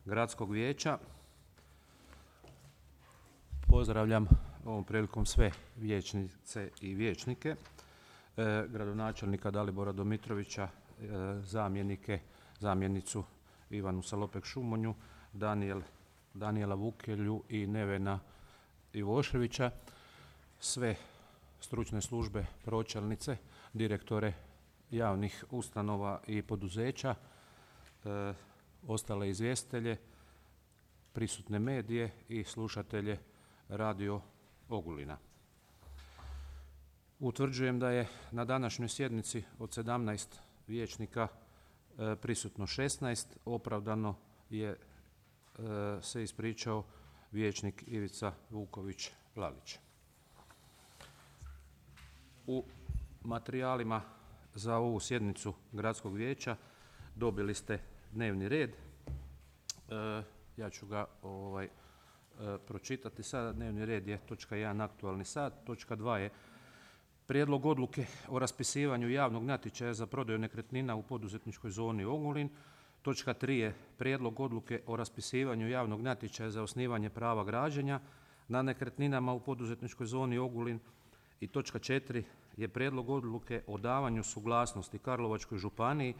Gradskog vijeća. Pozdravljam ovom prilikom sve vijećnice i vijećnike, gradonačelnika Dalibora Domitrovića, zamjenicu Ivanu Salopek-Šumonju, Danijela Vukelju i Nevena Ivoševića, sve stručne službe, pročelnice, direktore javnih ustanova i poduzeća, ostale izvjestitelje, prisutne medije i slušatelje Radio Ogulina. Utvrđujem da je na današnjoj sjednici od 17 vijećnika prisutno 16, opravdano je se ispričao vijećnik Ivica Vuković-Lalić. U materijalima za ovu sjednicu Gradskog vijeća dobili ste dnevni red. Ja ću ga pročitati sada. Dnevni red je točka 1. aktualni sat, točka 2 je prijedlog odluke o raspisivanju javnog natječaja za prodaju nekretnina u poduzetničkoj zoni Ogulin. Točka 3 je prijedlog odluke o raspisivanju javnog natječaja za osnivanje prava građenja na nekretninama u poduzetničkoj zoni Ogulin. I točka 4 je prijedlog odluke o davanju suglasnosti Karlovačkoj županiji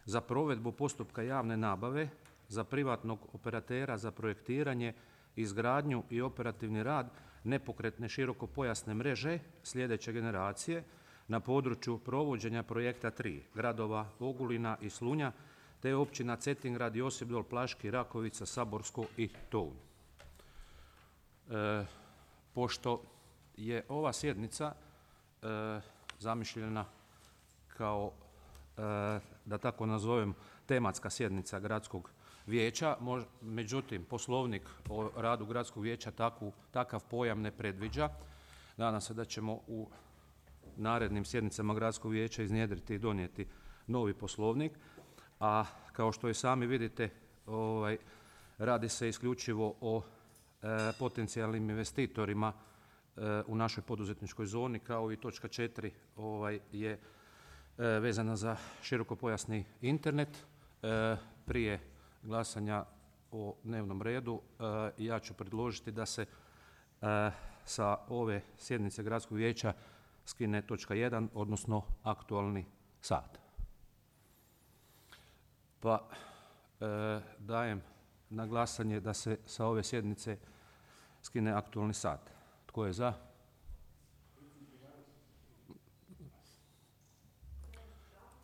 za provedbu postupka javne nabave za privatnog operatera za projektiranje, izgradnju i operativni rad nepokretne širokopojasne mreže sljedeće generacije na području provođenja projekta 3 gradova Ogulina i Slunja te općina Cetingrad, Josipdol, Plaški, Rakovica, Saborsko i Tounj. Pošto je ova sjednica zamišljena kao, da tako nazovem, tematska sjednica Gradskog vijeća, međutim Poslovnik o radu Gradskog vijeća takav pojam ne predviđa. Nadam se da ćemo u narednim sjednicama Gradskog vijeća iznjedriti i donijeti novi Poslovnik, a kao što i sami vidite radi se isključivo o potencijalnim investitorima u našoj poduzetničkoj zoni, kao i točka 4 je vezana za širokopojasni internet. Prije glasanja o dnevnom redu ja ću predložiti da se sa ove sjednice Gradskog vijeća skine točka 1, odnosno aktualni sat. Pa dajem na glasanje da se sa ove sjednice skine aktualni sat. Tko je za?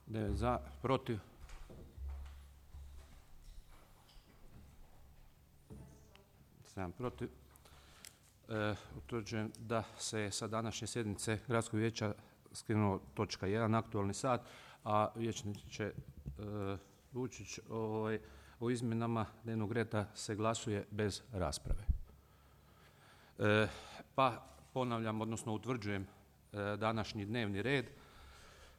Ne, za, protiv? Protiv. Utvrđujem da se sa današnje sjednice Gradskog vijeća skinuo točka 1, aktualni sat, a vijećniče Vučić o izmjenama dnevnog reda se glasuje bez rasprave. Pa ponavljam, odnosno utvrđujem današnji dnevni red.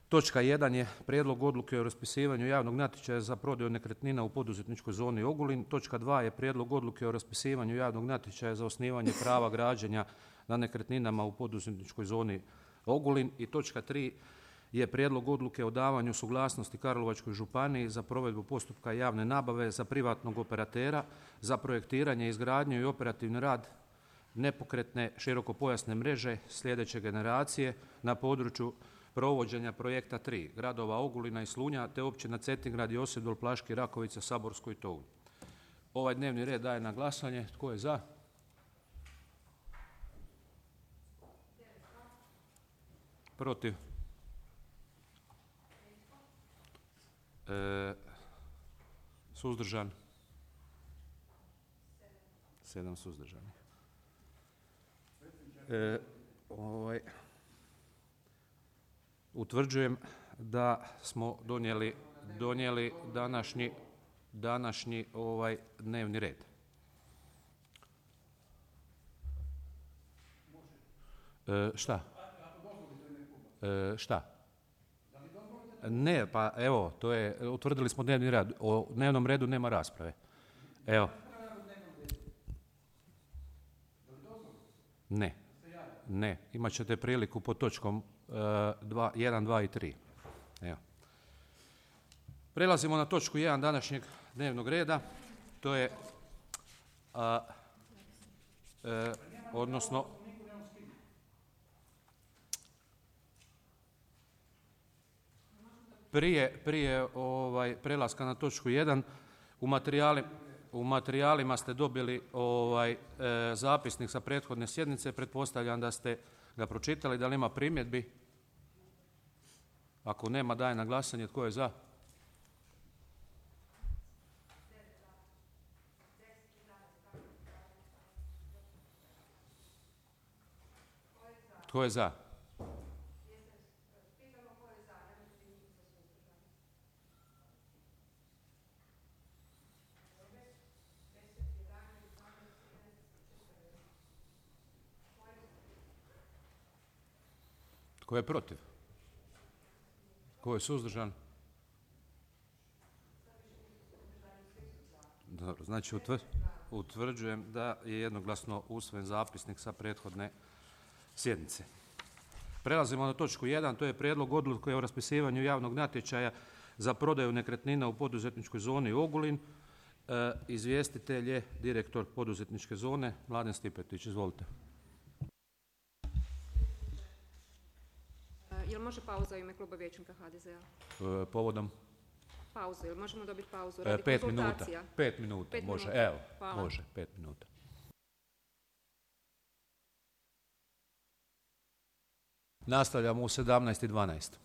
Točka 1 je prijedlog odluke o raspisivanju javnog natječaja za prodaju nekretnina u poduzetničkoj zoni Ogulin. Točka 2 je prijedlog odluke o raspisivanju javnog natječaja za osnivanje prava građenja na nekretninama u poduzetničkoj zoni Ogulin. I točka 3 je prijedlog odluke o davanju suglasnosti Karlovačkoj županiji za provedbu postupka javne nabave za privatnog operatera za projektiranje, izgradnju i operativni rad nepokretne širokopojasne mreže sljedeće generacije na području provođenja projekta 3 gradova Ogulina i Slunja te općina Cetingrad, Josipdol, Plaški, Rakovica, Saborsko i Tounj. Ovaj dnevni red daje na glasanje. Tko je za? Protiv? Suzdržan? 7 suzdržanih. Utvrđujem da smo donijeli današnji dnevni red. Šta? Šta? Ne, pa evo, to je, utvrdili smo dnevni red. O dnevnom redu nema rasprave. Evo. Ne, imat ćete priliku pod točkom 1, 2 i 3. Evo. Prelazimo na točku 1 današnjeg dnevnog reda. To je, odnosno, prije prelaska na točku 1, u materijalima ste dobili zapisnik sa prethodne sjednice, pretpostavljam da ste ga pročitali, da li ima primjedbi? Ako nema, daje na glasanje. Tko je za? Tko je za? Tko je protiv? Tko je suzdržan? Dobro, znači utvrđujem da je jednoglasno usvojen zapisnik sa prethodne sjednice. Prelazimo na točku 1, to je prijedlog odluke o raspisivanju javnog natječaja za prodaju nekretnina u poduzetničkoj zoni Ogulin. Izvjestitelj je direktor poduzetničke zone Mladen Stipetić. Izvolite. Jel može pauza u ime kluba vijećnika HDZ-a? Povodom? Pauzu, jel možemo dobiti pauzu? 5 minuta. 5 minuta, može. Evo, hvala. Može, 5 minuta. Nastavljamo u 17:12.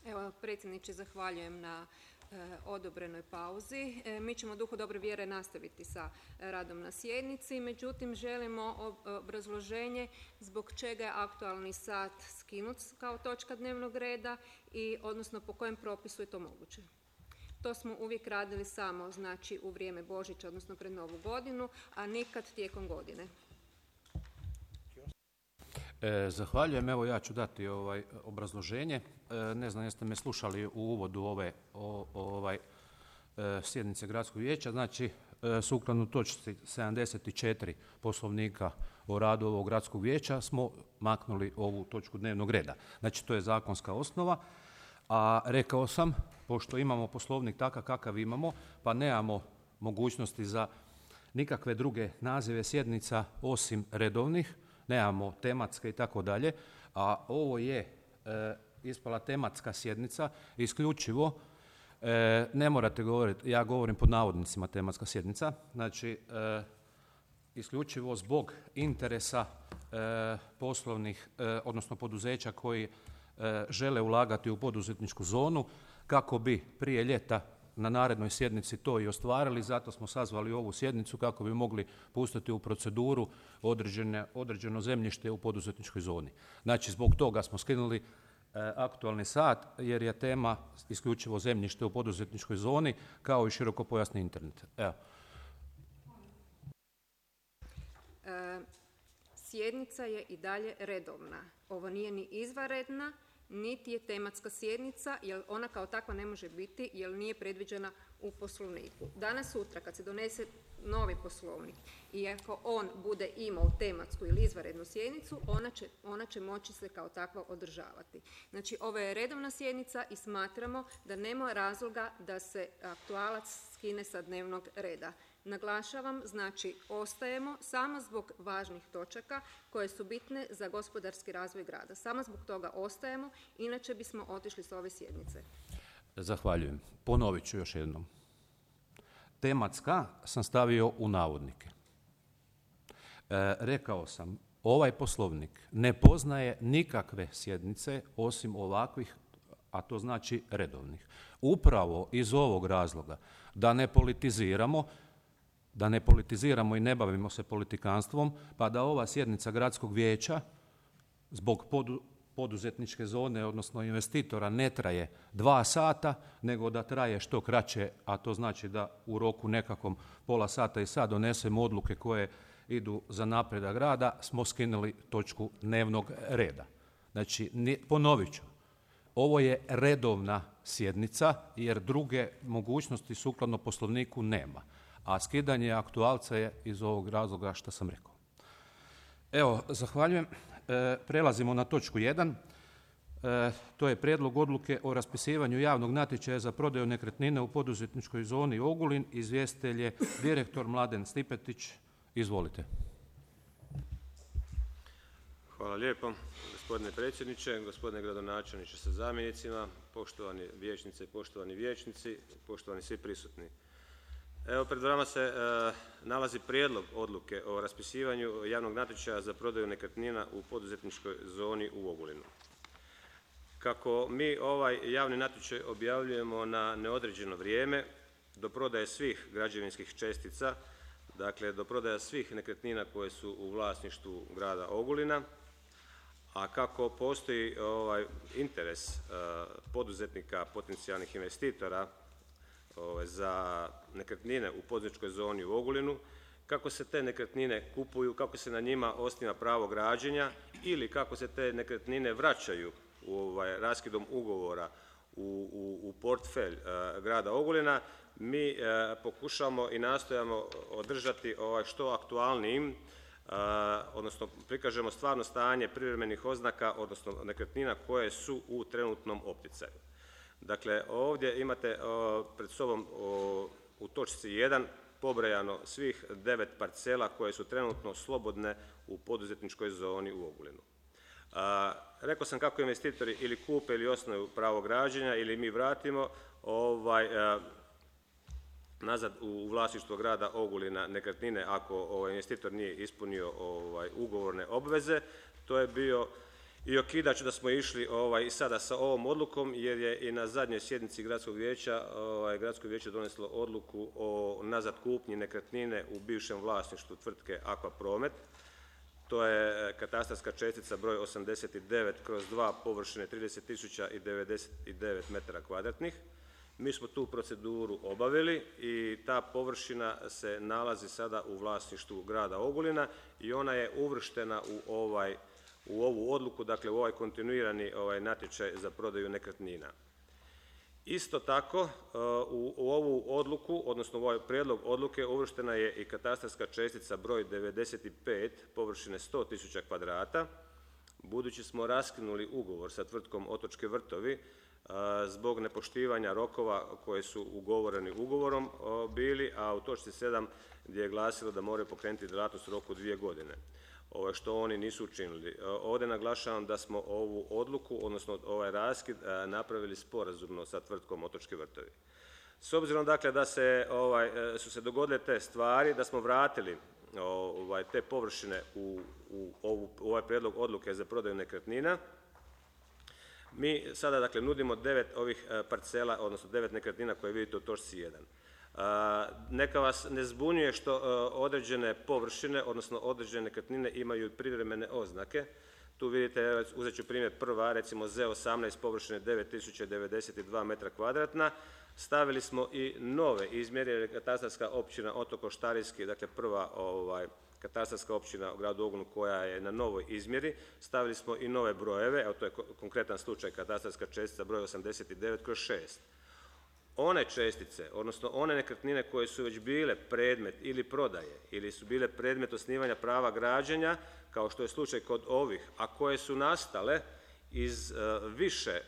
Evo, predsjedniče, zahvaljujem na odobrenoj pauzi. Mi ćemo u duhu dobre vjere nastaviti sa radom na sjednici, međutim želimo obrazloženje zbog čega je aktualni sat skinut kao točka dnevnog reda i odnosno po kojem propisu je to moguće. To smo uvijek radili samo znači u vrijeme Božića, odnosno pred Novu godinu, a nikad tijekom godine. Zahvaljujem. Evo ja ću dati obrazloženje. Ne znam jeste me slušali u uvodu ove sjednice gradskog vijeća. Znači, sukladno točci 74 Poslovnika o radu ovog gradskog vijeća smo maknuli ovu točku dnevnog reda. Znači, to je zakonska osnova. A rekao sam, pošto imamo Poslovnik takav kakav imamo, pa nemamo mogućnosti za nikakve druge nazive sjednica osim redovnih, nemamo tematske i tako dalje, a ovo je ispala tematska sjednica, isključivo, ne morate govoriti, ja govorim pod navodnicima tematska sjednica, znači isključivo zbog interesa poslovnih, odnosno poduzeća koji žele ulagati u poduzetničku zonu, kako bi prije ljeta na narednoj sjednici to i ostvarili, zato smo sazvali ovu sjednicu kako bi mogli pustiti u proceduru određeno zemljište u poduzetničkoj zoni. Znači, zbog toga smo skinuli aktualni sat, jer je tema isključivo zemljište u poduzetničkoj zoni, kao i širokopojasni internet. Evo. Sjednica je i dalje redovna. Ovo nije ni izvanredna, niti je tematska sjednica, jer ona kao takva ne može biti, jer nije predviđena u Poslovniku. Danas, sutra, kad se donese novi Poslovnik i ako on bude imao tematsku ili izvanrednu sjednicu, ona će moći se kao takva održavati. Znači, ovo je redovna sjednica i smatramo da nema razloga da se aktualac skine sa dnevnog reda. Naglašavam, znači ostajemo samo zbog važnih točaka koje su bitne za gospodarski razvoj grada. Samo zbog toga ostajemo, inače bismo otišli s ove sjednice. Zahvaljujem. Ponovit ću još jednom. Tematska sam stavio u navodnike. Rekao sam, ovaj Poslovnik ne poznaje nikakve sjednice osim ovakvih, a to znači redovnih. Upravo iz ovog razloga da ne politiziramo i ne bavimo se politikanstvom, pa da ova sjednica gradskog vijeća zbog poduzetničke zone, odnosno investitora, ne traje 2 sata, nego da traje što kraće, a to znači da u roku nekakvom pola sata i sad donesemo odluke koje idu za napredak rada, smo skinuli točku dnevnog reda. Znači, ponovit ću, ovo je redovna sjednica jer druge mogućnosti sukladno Poslovniku nema, a skidanje aktualca je iz ovog razloga što sam rekao. Evo, zahvaljujem. Prelazimo na točku 1. To je prijedlog odluke o raspisivanju javnog natječaja za prodaju nekretnine u poduzetničkoj zoni Ogulin. Izvjestitelj je direktor Mladen Stipetić. Izvolite. Hvala lijepo, gospodine predsjedniče, gospodine gradonačelniče sa zamjenicima, poštovani vijećnice i poštovani vijećnici, poštovani svi prisutni. Evo, pred vama se nalazi prijedlog odluke o raspisivanju javnog natječaja za prodaju nekretnina u poduzetničkoj zoni u Ogulinu. Kako mi ovaj javni natječaj objavljujemo na neodređeno vrijeme, do prodaje svih građevinskih čestica, dakle do prodaja svih nekretnina koje su u vlasništvu grada Ogulina, a kako postoji interes poduzetnika, potencijalnih investitora za nekretnine u poduzetničkoj zoni u Ogulinu, kako se te nekretnine kupuju, kako se na njima osniva pravo građenja ili kako se te nekretnine vraćaju raskidom ugovora u portfelj grada Ogulina, mi pokušamo i nastojamo održati što aktualnijim, odnosno prikažemo stvarno stanje privremenih oznaka, odnosno nekretnina koje su u trenutnom opticaju. Dakle, ovdje imate pred sobom u točci 1 pobrojano svih 9 parcela koje su trenutno slobodne u poduzetničkoj zoni u Ogulinu. Rekao sam kako investitori ili kupe ili osnuju pravo građenja ili mi vratimo nazad u vlasništvo grada Ogulina nekretnine ako investitor nije ispunio ugovorne obveze. To je bio i okidač da smo išli i sada sa ovom odlukom, jer je i na zadnjoj sjednici gradskog vijeća gradsko vijeće doneslo odluku o nazad kupnji nekretnine u bivšem vlasništvu tvrtke Aquapromet. To je katastarska čestica broj 89/2 površine 30.099 m2. Mi smo tu proceduru obavili i ta površina se nalazi sada u vlasništvu grada Ogulina i ona je uvrštena u ovu odluku, dakle u ovaj kontinuirani natječaj za prodaju nekretnina. Isto tako u ovu odluku, odnosno u ovaj prijedlog odluke uvrštena je i katastarska čestica broj 95 površine 100.000 kvadrata. Budući smo raskinuli ugovor sa tvrtkom Otočki vrtovi zbog nepoštivanja rokova koje su ugovoreni ugovorom bili, a u točci 7 gdje je glasilo da moraju pokrenuti djelatnost u roku 2 godine, što oni nisu učinili. Ovdje naglašavam da smo ovu odluku, odnosno ovaj raskid, napravili sporazumno sa tvrtkom Otočki vrtovi. S obzirom dakle da su se dogodile te stvari, da smo vratili te površine u ovaj prijedlog odluke za prodaju nekretnina, mi sada dakle nudimo 9 ovih parcela, odnosno 9 nekretnina koje vidite u točci 1. Neka vas ne zbunjuje što određene površine, odnosno određene nekretnine imaju privremene oznake. Tu vidite, uzet ću primjer prva, recimo Z18 površine 9.092 m2. Stavili smo i nove izmjere, jer je katastarska općina Otok Oštarijski, dakle prva katastarska općina u gradu Ogulinu koja je na novoj izmjeri. Stavili smo i nove brojeve, evo to je konkretan slučaj katastarska čestica broj 89/6. One čestice, odnosno one nekretnine koje su već bile predmet ili prodaje ili su bile predmet osnivanja prava građenja, kao što je slučaj kod ovih, a koje su nastale iz više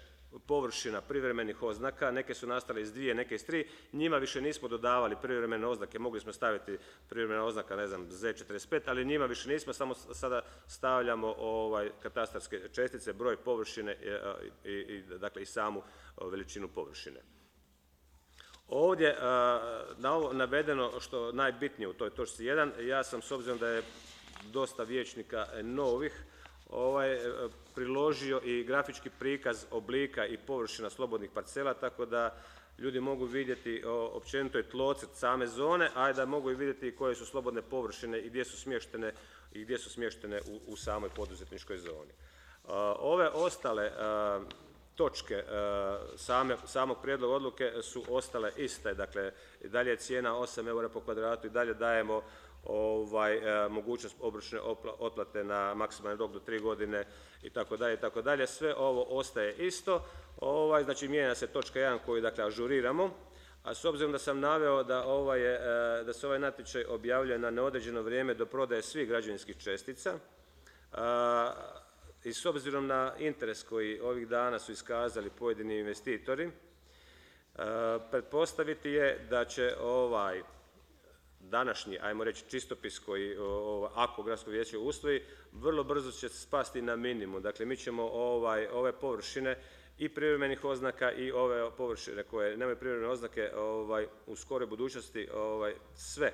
površina privremenih oznaka, neke su nastale iz 2, neke iz 3, njima više nismo dodavali privremene oznake, mogli smo staviti privremena oznaka, ne znam, Z45, ali njima više nismo, samo sada stavljamo katastarske čestice, broj površine dakle i samu veličinu površine. Ovdje na ovo navedeno što najbitnije u toj točci 1, ja sam, s obzirom da je dosta vijećnika novih, priložio i grafički prikaz oblika i površina slobodnih parcela, tako da ljudi mogu vidjeti općenito je tlocrt same zone, a da mogu i vidjeti koje su slobodne površine i gdje su smještene u samoj poduzetničkoj zoni. Ove ostale točke samog prijedloga odluke su ostale iste, dakle i dalje je cijena 8 eura po kvadratu i dalje dajemo mogućnost obročne otplate na maksimalni rok do 3 godine itd. Sve ovo ostaje isto, znači mijenja se točka 1 koju dakle ažuriramo, a s obzirom da sam naveo da se ovaj natječaj objavljuje na neodređeno vrijeme do prodaje svih građevinskih čestica, i s obzirom na interes koji ovih dana su iskazali pojedini investitori, pretpostaviti je da će ovaj današnji, ajmo reći, čistopis koji, ako gradsko vijeće usvoji, vrlo brzo će spasti na minimum. Dakle, mi ćemo ove površine i privremenih oznaka i ove površine koje nemaju privremene oznake u skoroj budućnosti sve,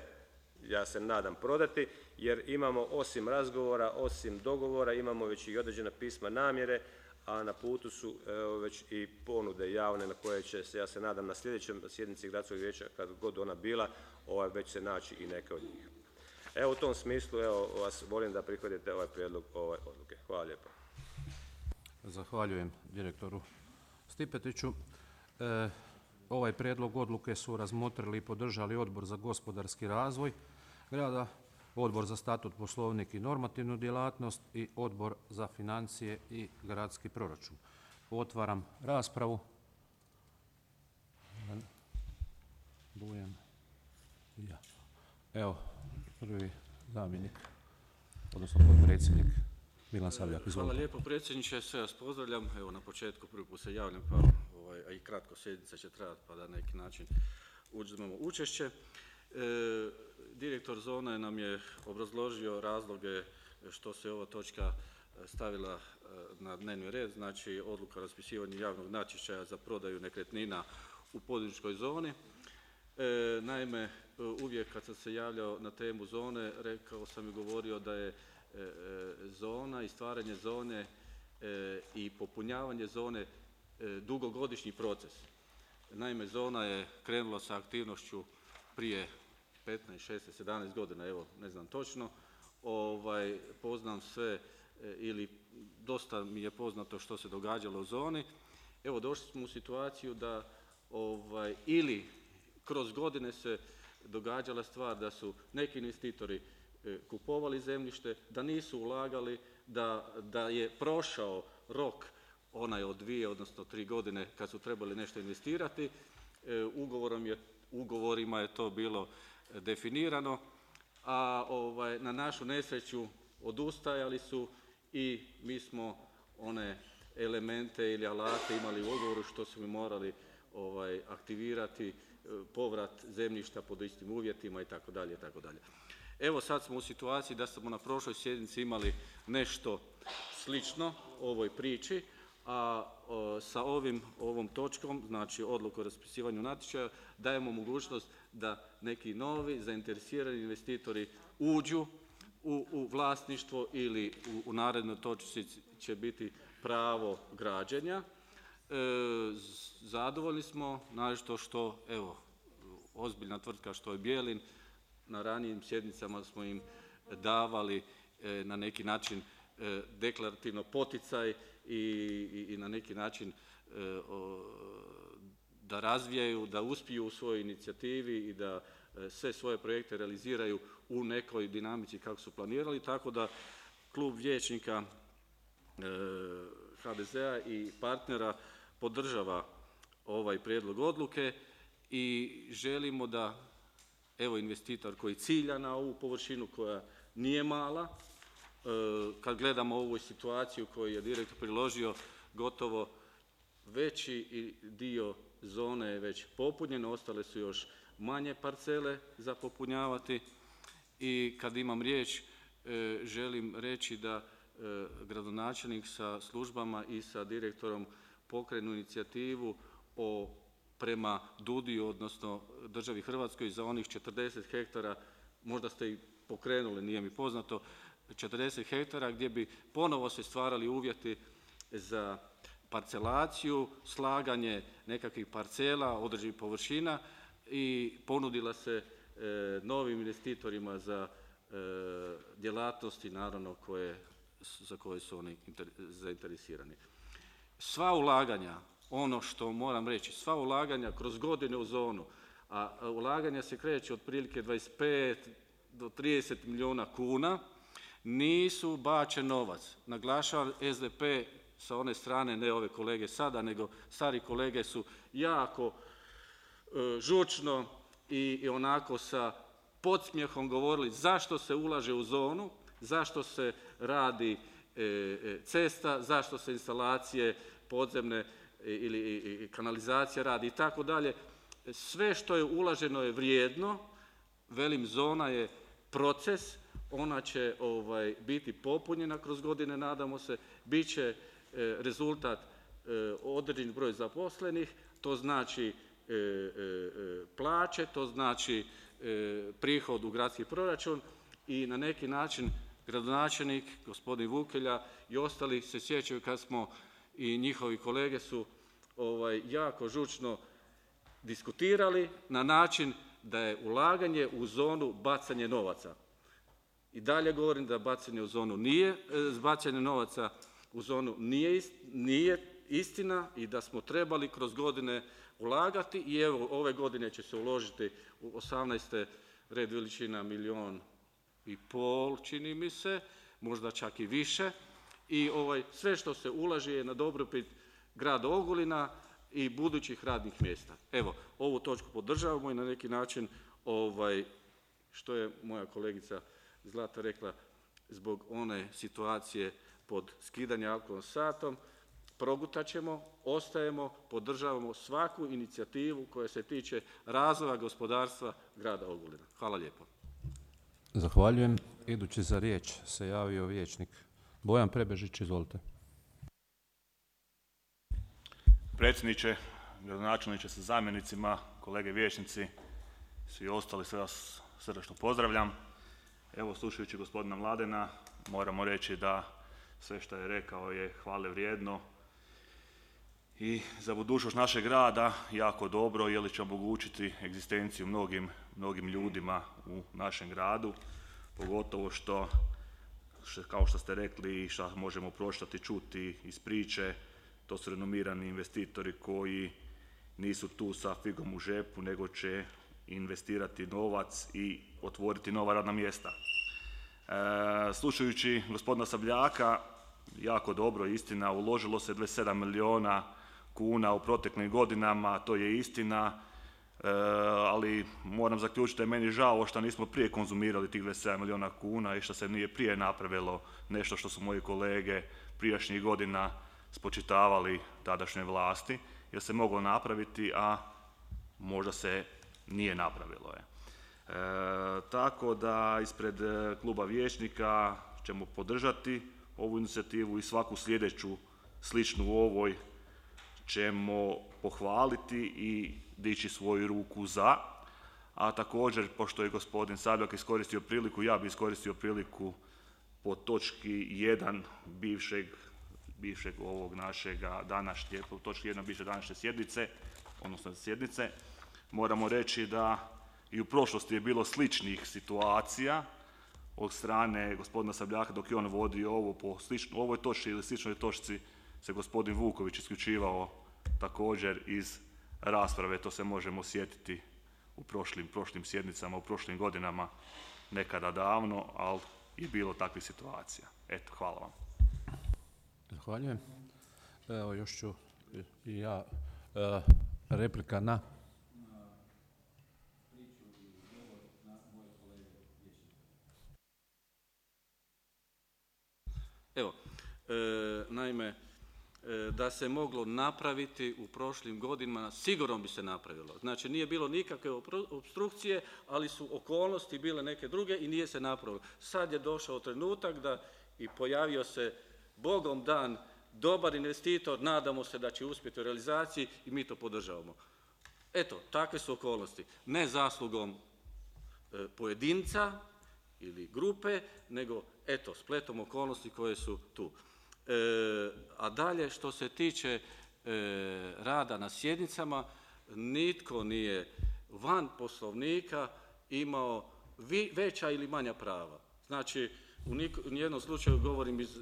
ja se nadam, prodati, jer imamo osim razgovora, osim dogovora, imamo već i određena pisma namjere, a na putu su već i ponude javne na koje će se, ja se nadam, na sljedećem sjednici gradskog vijeća, kad god ona bila, već se naći i neke od njih. Evo, u tom smislu, vas molim da prihvatite ovaj prijedlog odluke. Hvala lijepo. Zahvaljujem direktoru Stipetiću. Ovaj prijedlog odluke su razmotrili i podržali Odbor za gospodarski razvoj grada, Odbor za statut, poslovnik i normativnu djelatnost i Odbor za financije i gradski proračun. Otvaram raspravu. Bujan. Ja. Evo, prvi zamjenik, odnosno potpredsjednik Milan Sabljak. Hvala lijepo predsjedniče, sve vas pozdravljam. Evo, na početku prvi put se javljam, pa a i kratko sjednica će trajati, pa da na neki način uzmemo učešće. Direktor zone nam je obrazložio razloge što se ova točka stavila na dnevni red, znači odluka o raspisivanju javnog natječaja za prodaju nekretnina u poduzetničkoj zoni. Naime, uvijek kad sam se javljao na temu zone, rekao sam i govorio da je zona i stvaranje zone i popunjavanje zone dugogodišnji proces. Naime, zona je krenula sa aktivnošću prije 15, 16, 17 godina, evo, ne znam točno. Poznam sve ili dosta mi je poznato što se događalo u zoni. Evo, došli smo u situaciju da ili kroz godine se događala stvar da su neki investitori kupovali zemljište, da nisu ulagali, da je prošao rok onaj od 2, odnosno 3 godine kad su trebali nešto investirati. Ugovorima je to bilo definirano, a na našu nesreću odustajali su i mi smo one elemente ili alate imali u ugovoru što su mi morali aktivirati, povrat zemljišta pod istim uvjetima itd. Evo, sad smo u situaciji da smo na prošloj sjednici imali nešto slično ovoj priči, a sa ovom točkom, znači odluku o raspisivanju natječaja, dajemo mogućnost da neki novi zainteresirani investitori uđu u vlasništvo ili u narednoj točci će biti pravo građenja. Zadovoljni smo, naročito što, evo, ozbiljna tvrtka što je Bjelin, na ranijim sjednicama smo im davali na neki način deklarativno poticaj i na neki način da razvijaju, da uspiju u svojoj inicijativi i da sve svoje projekte realiziraju u nekoj dinamici kako su planirali, tako da klub vijećnika HDZ-a i partnera podržava ovaj prijedlog odluke i želimo da, evo, investitor koji cilja na ovu površinu koja nije mala, kad gledamo ovu situaciju koju je direktor priložio, gotovo veći dio zone je već popunjen, ostale su još manje parcele za popunjavati. I kad imam riječ, želim reći da gradonačelnik sa službama i sa direktorom pokrenu inicijativu prema DUDI-u, odnosno državi Hrvatskoj, za onih 40 hektara, možda ste i pokrenuli, nije mi poznato, 40 hektara gdje bi ponovo se stvarali uvjeti za parcelaciju, slaganje nekakvih parcela, određenih površina i ponudila se novim investitorima za djelatnosti, naravno, koje za koje su oni zainteresirani. Sva ulaganja, ono što moram reći, sva ulaganja kroz godine u zonu, a ulaganja se kreću otprilike 25 do 30 milijuna kuna, nisu bačen novac. Naglašavam, SDP sa one strane, ne ove kolege sada, nego stari kolege su jako žučno i onako sa podsmjehom govorili zašto se ulaže u zonu, zašto se radi cesta, zašto se instalacije podzemne ili kanalizacija radi i tako dalje. Sve što je ulaženo je vrijedno, velim, zona je proces, ona će biti popunjena kroz godine, nadamo se, bit će rezultat određen broj zaposlenih, to znači plaće, to znači prihod u gradski proračun i na neki način gradonačelnik, gospodin Vukelja i ostali se sjećaju kad smo i njihovi kolege su jako žučno diskutirali na način da je ulaganje u zonu bacanje novaca. I dalje govorim da bacanje novaca u zonu nije istina i da smo trebali kroz godine ulagati i evo ove godine će se uložiti u 18. red veličina 1,5 milijuna, čini mi se, možda čak i više. I sve što se ulaže je na dobrobit grada Ogulina i budućih radnih mjesta. Evo, ovu točku podržavamo i na neki način, što je moja kolegica Zlata rekla, zbog one situacije pod skidanje alkoholnom satom, progutat ćemo, ostajemo, podržavamo svaku inicijativu koja se tiče razvoja gospodarstva grada Ogulina. Hvala lijepo. Zahvaljujem. Idući za riječ se javio vijećnik Bojan Prebežić, izvolite. Predsjedniče, gradonačelniče sa zamjenicima, kolege vijećnici, svi ostali, sve vas srdačno pozdravljam. Evo, slušajući gospodina Mladena, moramo reći da sve što je rekao je hvale vrijedno i za budućnost našeg grada jako dobro, jer će omogućiti egzistenciju mnogim ljudima u našem gradu, pogotovo što, kao što ste rekli i što možemo pročitati, čuti iz priče, to su renomirani investitori koji nisu tu sa figom u žepu, nego će investirati novac i otvoriti nova radna mjesta. Slušajući gospodina Sabljaka, jako dobro, istina, uložilo se 27 milijuna kuna u proteklim godinama, to je istina, ali moram zaključiti da je meni žao što nismo prije konzumirali tih 27 milijuna kuna i što se nije prije napravilo nešto što su moji kolege prijašnjih godina spočitavali tadašnjoj vlasti, jer se moglo napraviti, a možda se nije napravilo. Tako da ispred kluba vijećnika ćemo podržati ovu inicijativu i svaku sljedeću sličnu u ovoj ćemo pohvaliti i dići svoju ruku za, a također, pošto je gospodin Sabljak iskoristio priliku, ja bi iskoristio priliku po točki 1 bivšeg ovog našega današnje, po točki 1 bivše današnje sjednice, moramo reći da i u prošlosti je bilo sličnih situacija od strane gospodina Sabljaka dok je on vodio ovo po ovoj točci ili sličnoj točci se gospodin Vuković isključivao također iz rasprave, to se možemo sjetiti u prošlim sjednicama, u prošlim godinama, nekada davno, ali je bilo takvih situacija. Eto, hvala vam. Zahvaljujem. Evo, još ću i ja replika na... Evo, naime, da se moglo napraviti u prošlim godinama, sigurno bi se napravilo. Znači, nije bilo nikakve opstrukcije, ali su okolnosti bile neke druge i nije se napravilo. Sad je došao trenutak da i pojavio se Bogom dan dobar investitor, nadamo se da će uspjeti u realizaciji i mi to podržavamo. Eto, takve su okolnosti. Ne zaslugom pojedinca ili grupe, nego eto, spletom okolnosti koje su tu. A dalje, što se tiče rada na sjednicama, nitko nije van poslovnika imao veća ili manja prava. Znači, U nijednom slučaju govorim iz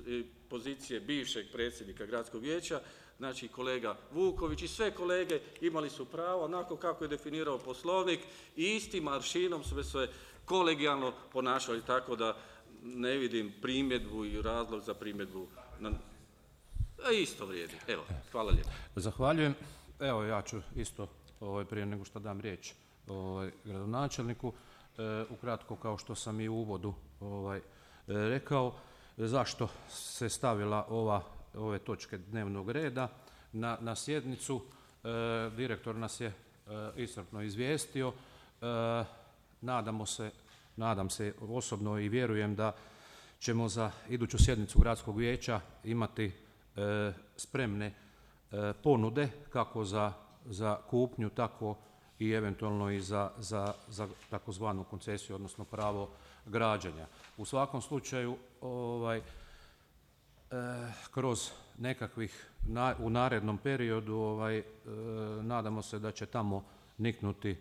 pozicije bivšeg predsjednika gradskog vijeća, znači kolega Vuković i sve kolege imali su pravo, onako kako je definirao Poslovnik i istim aršinom su se kolegijalno ponašali, tako da ne vidim primjedbu i razlog za primjedbu. Isto vrijedi. Evo, hvala lijepo. Zahvaljujem. Evo, ja ću isto prije nego što dam riječ gradonačelniku, ukratko kao što sam i u uvodu rekao, zašto se stavila ove točke dnevnog reda na sjednicu. Direktor nas je iscrpno izvijestio. Nadam se osobno i vjerujem da ćemo za iduću sjednicu gradskog vijeća imati spremne ponude kako za kupnju, tako i eventualno i za takozvanu koncesiju, odnosno pravo građenja. U svakom slučaju, kroz nekakvih u narednom periodu nadamo se da će tamo niknuti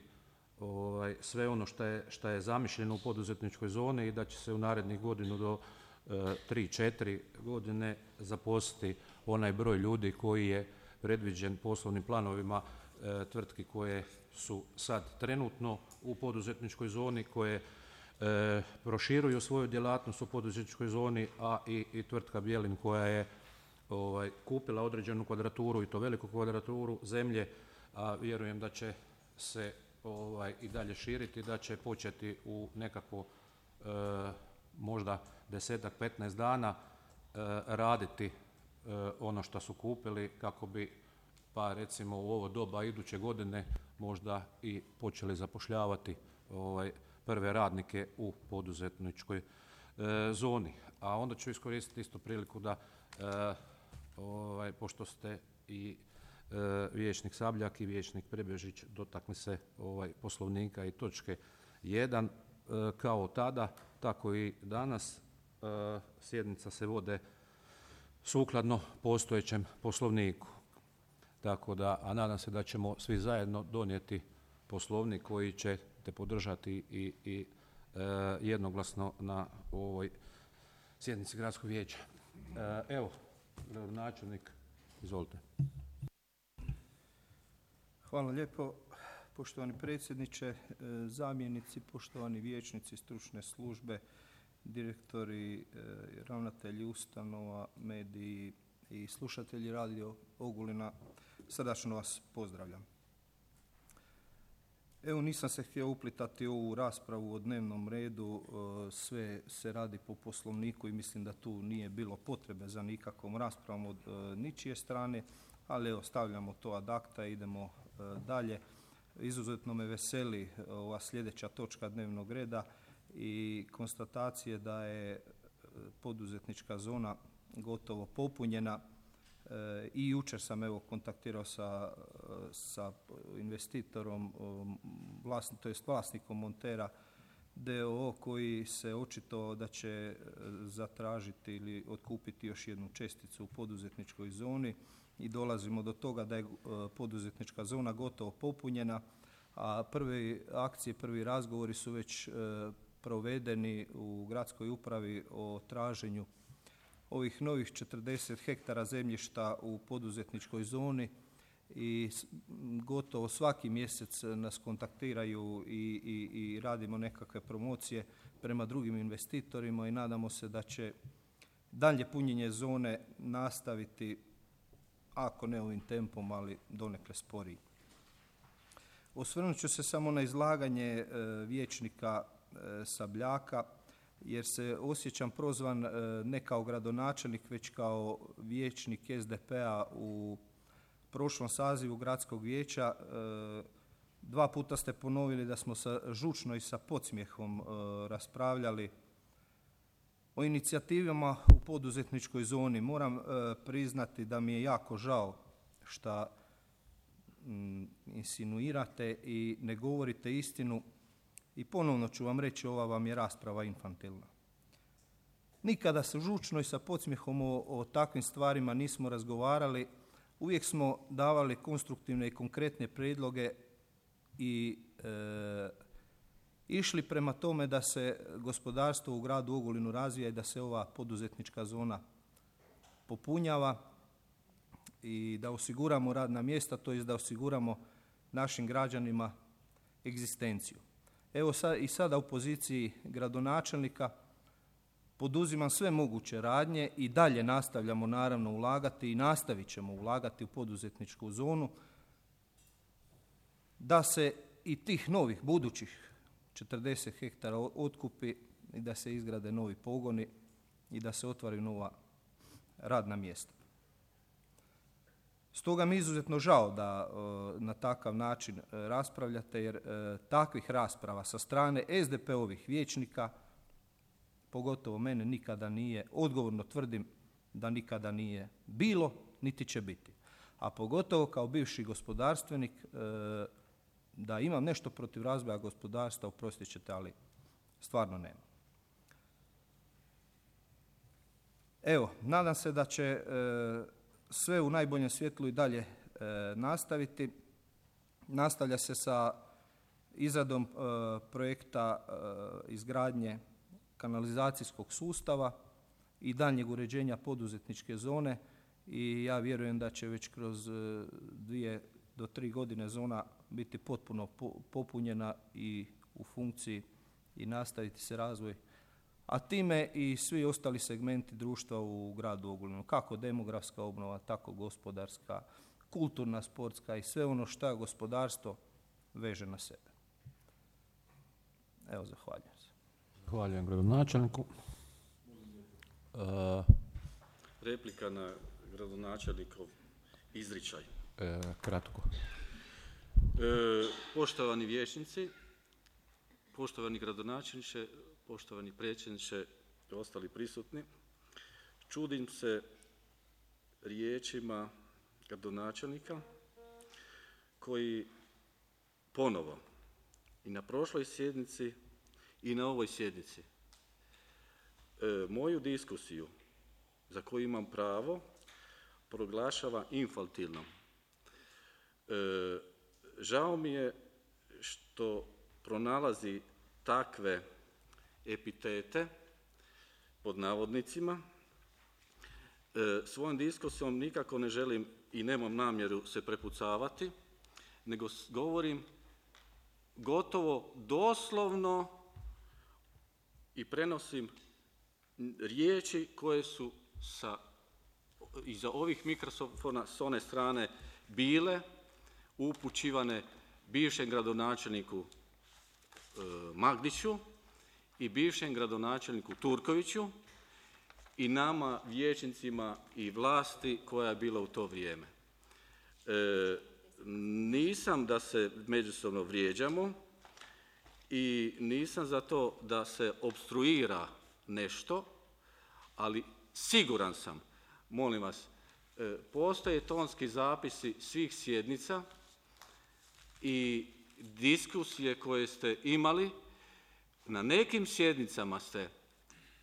sve ono što je zamišljeno u poduzetničkoj zoni i da će se u narednih godinu do 3-4 godine zaposliti onaj broj ljudi koji je predviđen poslovnim planovima tvrtki koje su sad trenutno u poduzetničkoj zoni, koje proširuju svoju djelatnost u poduzetničkoj zoni, a i tvrtka Bjelin koja je kupila određenu kvadraturu i to veliku kvadraturu zemlje, a vjerujem da će se i dalje širiti, da će početi u nekako možda 10-15 dana raditi ono što su kupili kako bi pa recimo u ovo doba iduće godine možda i počeli zapošljavati prve radnike u poduzetničkoj zoni. A onda ću iskoristiti isto priliku da pošto ste i vijećnik Sabljak i vijećnik Prebežić dotakli se Poslovnika i točke 1, kao tada, tako i danas sjednica se vode sukladno postojećem Poslovniku. Tako da, a nadam se da ćemo svi zajedno donijeti Poslovnik koji ćete podržati i jednoglasno na ovoj sjednici gradskog vijeća. Evo, gradonačelnik, izvolite. Hvala lijepo, poštovani predsjedniče, zamjenici, poštovani vijećnici, stručne službe, direktori, ravnatelji ustanova, mediji i slušatelji Radio Ogulina, srdačno vas pozdravljam. Evo, nisam se htio uplitati u ovu raspravu o dnevnom redu, sve se radi po Poslovniku i mislim da tu nije bilo potrebe za nikakvom raspravom od ničije strane, ali evo, stavljamo to ad acta i idemo dalje. Izuzetno me veseli ova sljedeća točka dnevnog reda i konstatacije da je poduzetnička zona gotovo popunjena. I jučer sam evo kontaktirao sa investitorom, vlasnikom Montera d.o.o. koji se očito da će zatražiti ili otkupiti još jednu česticu u poduzetničkoj zoni i dolazimo do toga da je poduzetnička zona gotovo popunjena, a prve akcije, prvi razgovori su već provedeni u gradskoj upravi o traženju ovih novih 40 hektara zemljišta u poduzetničkoj zoni i gotovo svaki mjesec nas kontaktiraju i radimo nekakve promocije prema drugim investitorima i nadamo se da će dalje punjenje zone nastaviti, ako ne ovim tempom, ali donekle sporiji. Osvrnut ću se samo na izlaganje vijećnika Sabljaka, jer se osjećam prozvan ne kao gradonačelnik, već kao vijećnik SDP-a u prošlom sazivu gradskog vijeća. 2 puta ste ponovili da smo žučno i sa podsmjehom raspravljali o inicijativama u poduzetničkoj zoni. Moram priznati da mi je jako žao što insinuirate i ne govorite istinu. I ponovno ću vam reći, ova vam je rasprava infantilna. Nikada se žučno i sa podsmjehom o takvim stvarima nismo razgovarali. Uvijek smo davali konstruktivne i konkretne prijedloge i išli prema tome da se gospodarstvo u gradu Ogulinu razvija i da se ova poduzetnička zona popunjava i da osiguramo radna mjesta, to jest da osiguramo našim građanima egzistenciju. Evo i sada u poziciji gradonačelnika poduzimam sve moguće radnje i dalje nastavljamo naravno ulagati i nastavit ćemo ulagati u poduzetničku zonu da se i tih novih budućih 40 hektara otkupi i da se izgrade novi pogoni i da se otvaraju nova radna mjesta. Stoga mi je izuzetno žao da na takav način raspravljate, jer takvih rasprava sa strane SDP-ovih vijećnika, pogotovo mene, nikada nije, odgovorno tvrdim da nikada nije bilo, niti će biti. A pogotovo kao bivši gospodarstvenik, da imam nešto protiv razvoja gospodarstva, oprostit ćete, ali stvarno nema. Evo, nadam se da će sve u najboljem svjetlu i dalje nastaviti. Nastavlja se sa izradom projekta izgradnje kanalizacijskog sustava i daljnjeg uređenja poduzetničke zone i ja vjerujem da će već kroz 2 do 3 godine zona biti potpuno popunjena i u funkciji i nastaviti se razvoj, a time i svi ostali segmenti društva u gradu Ogulinu, kako demografska obnova, tako gospodarska, kulturna, sportska i sve ono što gospodarstvo veže na sebe. Evo, zahvaljujem se. Zahvaljujem gradonačelniku. Replika na gradonačelnikov izričaj. Kratko. Poštovani vijećnici, poštovani gradonačelniče, poštovani predsjedniče i ostali prisutni, čudim se riječima gradonačelnika koji ponovo i na prošloj sjednici i na ovoj sjednici moju diskusiju za koju imam pravo proglašava infantilnom. Žao mi je što pronalazi takve epitete pod navodnicima. Svojom diskusijom nikako ne želim i nemam namjeru se prepucavati, nego govorim gotovo doslovno i prenosim riječi koje su iza ovih mikrofona s one strane bile upućivane bivšem gradonačelniku Magdiću i bivšem gradonačelniku Turkoviću i nama vijećnicima i vlasti koja je bila u to vrijeme. Nisam da se međusobno vrijeđamo i nisam za to da se opstruira nešto, ali siguran sam, molim vas, postoje tonski zapisi svih sjednica i diskusije koje ste imali. Na nekim sjednicama ste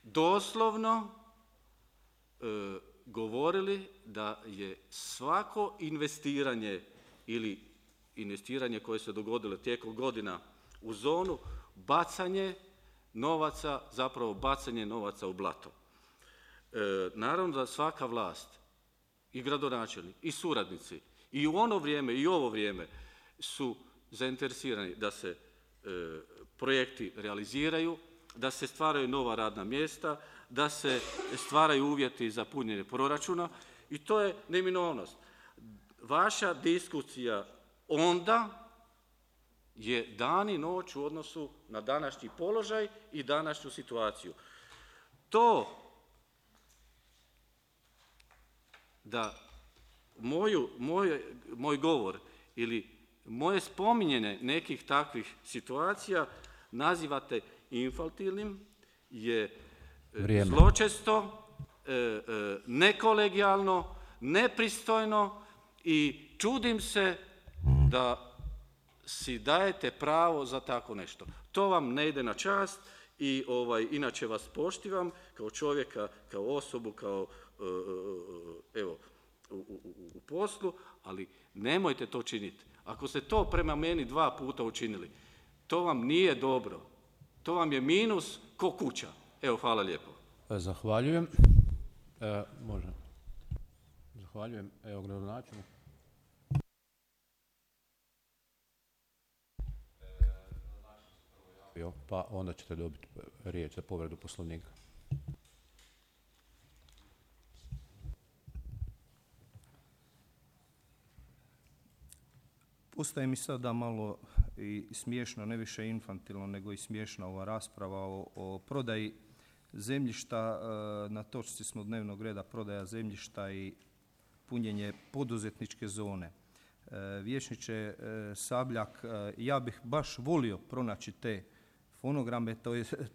doslovno govorili da je svako investiranje ili investiranje koje se dogodilo tijekom godina u zonu bacanje novaca, zapravo bacanje novaca u blato. Naravno da svaka vlast i gradonačelnik i suradnici i u ono vrijeme i u ovo vrijeme su zainteresirani da se projekti realiziraju, da se stvaraju nova radna mjesta, da se stvaraju uvjeti za punjenje proračuna i to je neminovnost. Vaša diskusija onda je dan i noć u odnosu na današnji položaj i današnju situaciju. To da moj govor ili moje spominjene nekih takvih situacija nazivate infantilnim je zločesto, nekolegijalno, nepristojno i čudim se da si dajete pravo za tako nešto. To vam ne ide na čast i inače vas poštivam kao čovjeka, kao osobu, kao u poslu, ali nemojte to činiti. Ako ste to prema meni 2 puta učinili, to vam nije dobro. To vam je minus ko kuća. Evo, hvala lijepo. Zahvaljujem. Može. Zahvaljujem. Evo, gradonačelnik. Pa onda ćete dobiti riječ za povredu Poslovnika. Postaje mi sada malo i smiješno, ne više infantilno, nego i smiješna ova rasprava o prodaji zemljišta. Na točci smo dnevnog reda prodaja zemljišta i punjenje poduzetničke zone. Vijećniče Sabljak, ja bih baš volio pronaći te fonograme,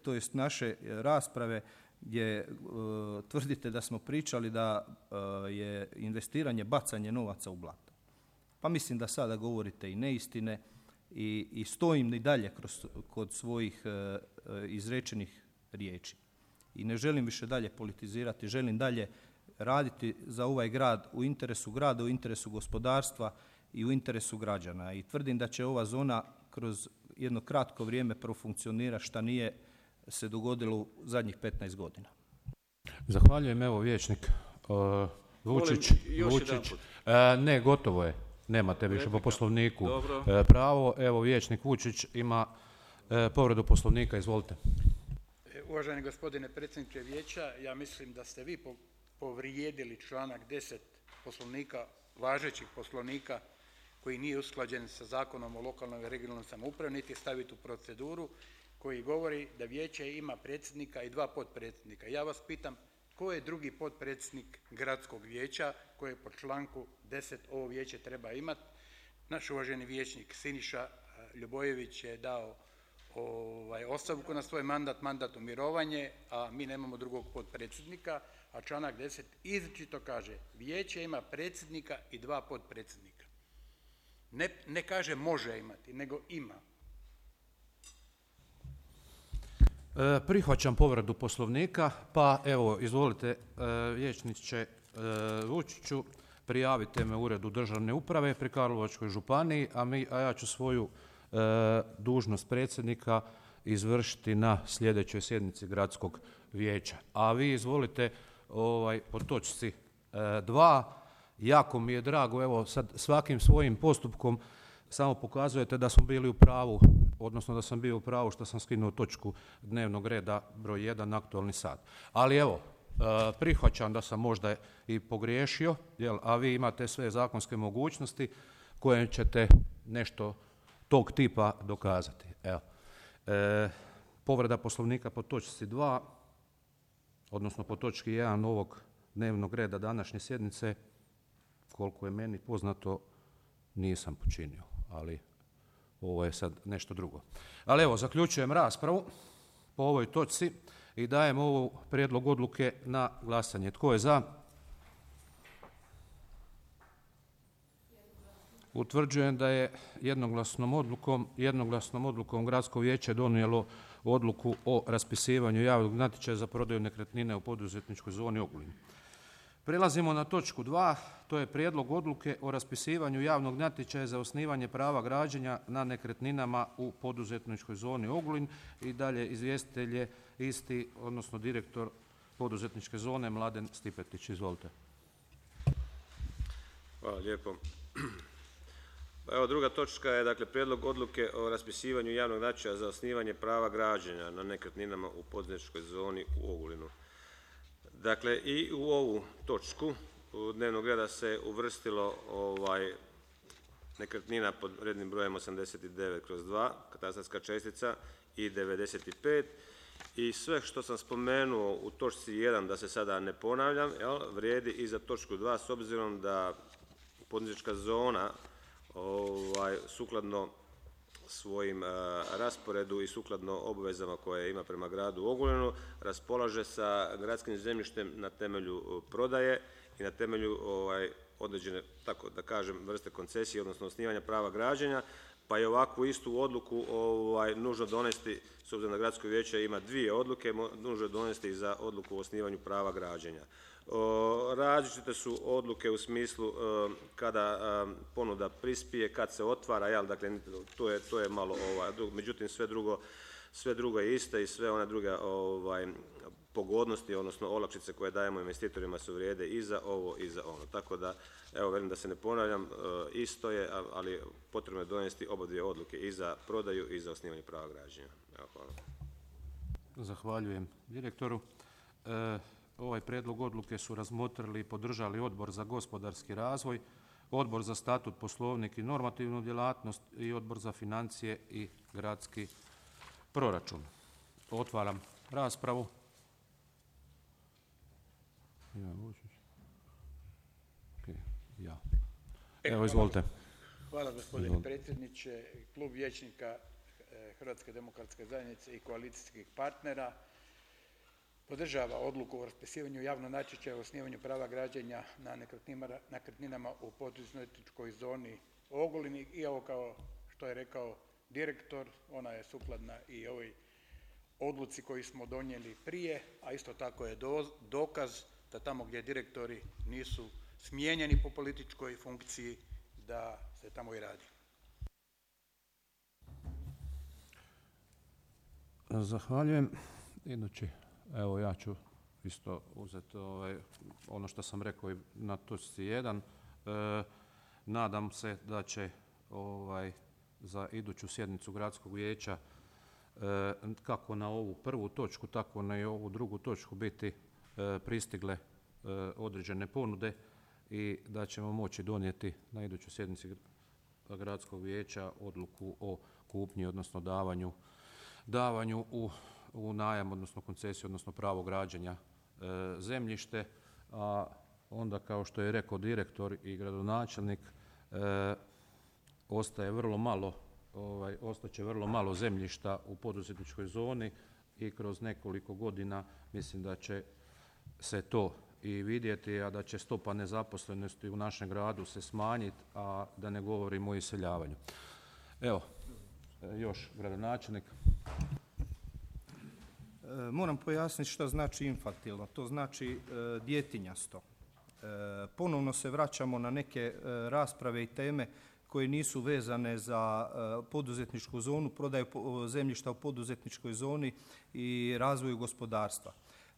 to jest naše rasprave gdje tvrdite da smo pričali da je investiranje bacanje novaca u blato. Pa mislim da sada govorite i neistine i stojim i dalje kod svojih izrečenih riječi. I ne želim više dalje politizirati, želim dalje raditi za ovaj grad, u interesu grada, u interesu gospodarstva i u interesu građana. I tvrdim da će ova zona kroz jedno kratko vrijeme profunkcionirati, šta nije se dogodilo u zadnjih 15 godina. Zahvaljujem, evo vijećnik Vučić. Ne, gotovo je. Nemate više po Poslovniku pravo. Evo, vijećnik Vučić ima povredu Poslovnika, izvolite. Uvaženi gospodine predsjedniče vijeća, ja mislim da ste vi povrijedili članak 10 Poslovnika, važećih Poslovnika, koji nije usklađen sa Zakonom o lokalnoj i regionalnoj samoupravi, niti staviti u proceduru, koji govori da vijeće ima predsjednika i 2 potpredsjednika. Ja vas pitam, tko je drugi potpredsjednik gradskog vijeća koje po članku 10 ovo vijeće treba imati? Naš uvaženi vijećnik Siniša Ljubojević je dao ostavku na svoj mandat u mirovanje, a mi nemamo drugog potpredsjednika, a članak 10 izričito kaže vijeće ima predsjednika i 2 potpredsjednika. Ne kaže može imati, nego ima. Prihvaćam povredu Poslovnika, pa evo, izvolite vijećniče Vučiću, prijavite me u Uredu državne uprave pri Karlovačkoj županiji, a ja ću svoju dužnost predsjednika izvršiti na sljedećoj sjednici gradskog vijeća. A vi izvolite po točci 2. Jako mi je drago, evo sad svakim svojim postupkom samo pokazujete da smo bili u pravu, odnosno da sam bio u pravu što sam skinuo točku dnevnog reda broj 1, aktualni sat. Ali evo, prihvaćam da sam možda i pogriješio, a vi imate sve zakonske mogućnosti koje ćete nešto tog tipa dokazati. Evo. Povreda Poslovnika po točci 2, odnosno po točki 1 ovog dnevnog reda današnje sjednice, koliko je meni poznato, nisam počinio, ali ovo je sad nešto drugo. Ali evo, zaključujem raspravu po ovoj točci i dajem ovu prijedlog odluke na glasanje. Tko je za? Utvrđujem da je jednoglasnom odlukom Gradsko vijeće donijelo odluku o raspisivanju javnog natječaja za prodaju nekretnine u poduzetničkoj zoni Ogulin. Prelazimo na točku 2, to je prijedlog odluke o raspisivanju javnog natječaja za osnivanje prava građenja na nekretninama u poduzetničkoj zoni Ogulin i dalje izvjestitelj je isti, odnosno direktor poduzetničke zone Mladen Stipetić. Izvolite. Hvala lijepo. Evo, druga točka je dakle prijedlog odluke o raspisivanju javnog natječaja za osnivanje prava građenja na nekretninama u poduzetničkoj zoni u Ogulinu. Dakle, i u ovu točku dnevnog reda se uvrstilo nekretnina pod rednim brojem 89/2, katastarska čestica i 95. I sve što sam spomenuo u točci 1, da se sada ne ponavljam, vrijedi i za točku 2, s obzirom da poduzetnička zona sukladno svojim rasporedu i sukladno obvezama koje ima prema gradu Ogulinu raspolaže sa gradskim zemljištem na temelju prodaje i na temelju određene, tako da kažem, vrste koncesije, odnosno osnivanja prava građenja, pa je ovakvu istu odluku nužno donesti, s obzirom da gradsko vijeće ima 2 odluke, nužno donesti i za odluku o osnivanju prava građenja. Različite su odluke u smislu kada ponuda prispije, kad se otvara, dakle to je malo, međutim sve drugo sve drugo je isto i sve one druge pogodnosti, odnosno olakšice koje dajemo investitorima su vrijede i za ovo i za ono. Tako da, evo, velim da se ne ponavljam, isto je, ali potrebno je donijeti obadvije odluke i za prodaju i za osnivanje prava građenja. Evo, hvala. Zahvaljujem direktoru. Ovaj prijedlog odluke su razmotrili i podržali Odbor za gospodarski razvoj, Odbor za statut, poslovnik i normativnu djelatnost i Odbor za financije i gradski proračun. Otvaram raspravu. Evo, izvolite. Hvala gospodine predsjedniče. Klub vijećnika Hrvatske demokratske zajednice i koalicijskih partnera podržava odluku o raspisivanju javnog natječaja o osnivanju prava građenja na nekretninama u poduzetničkoj zoni Ogulin. I ovo, kao što je rekao direktor, ona je sukladna i ovoj odluci koju smo donijeli prije, a isto tako je dokaz da tamo gdje direktori nisu smijenjeni po političkoj funkciji, da se tamo i radi. Zahvaljujem. Idući, evo ja ću isto uzeti ono što sam rekao i na točci 1. Nadam se da će za iduću sjednicu gradskog vijeća kako na ovu prvu točku, tako na i ovu drugu točku biti pristigle određene ponude i da ćemo moći donijeti na idućoj sjednici gradskog vijeća odluku o kupnji, odnosno davanju u najam, odnosno koncesiju, odnosno pravo građenja zemljište, a onda, kao što je rekao direktor i gradonačelnik, ostaće vrlo malo zemljišta u poduzetničkoj zoni i kroz nekoliko godina mislim da će se to i vidjeti, a da će stopa nezaposlenosti u našem gradu se smanjiti, a da ne govorimo o iseljavanju. Evo, još gradonačelnik. Moram pojasniti što znači infantilno. To znači djetinjasto. Ponovno se vraćamo na neke rasprave i teme koje nisu vezane za poduzetničku zonu, prodaju zemljišta u poduzetničkoj zoni i razvoju gospodarstva.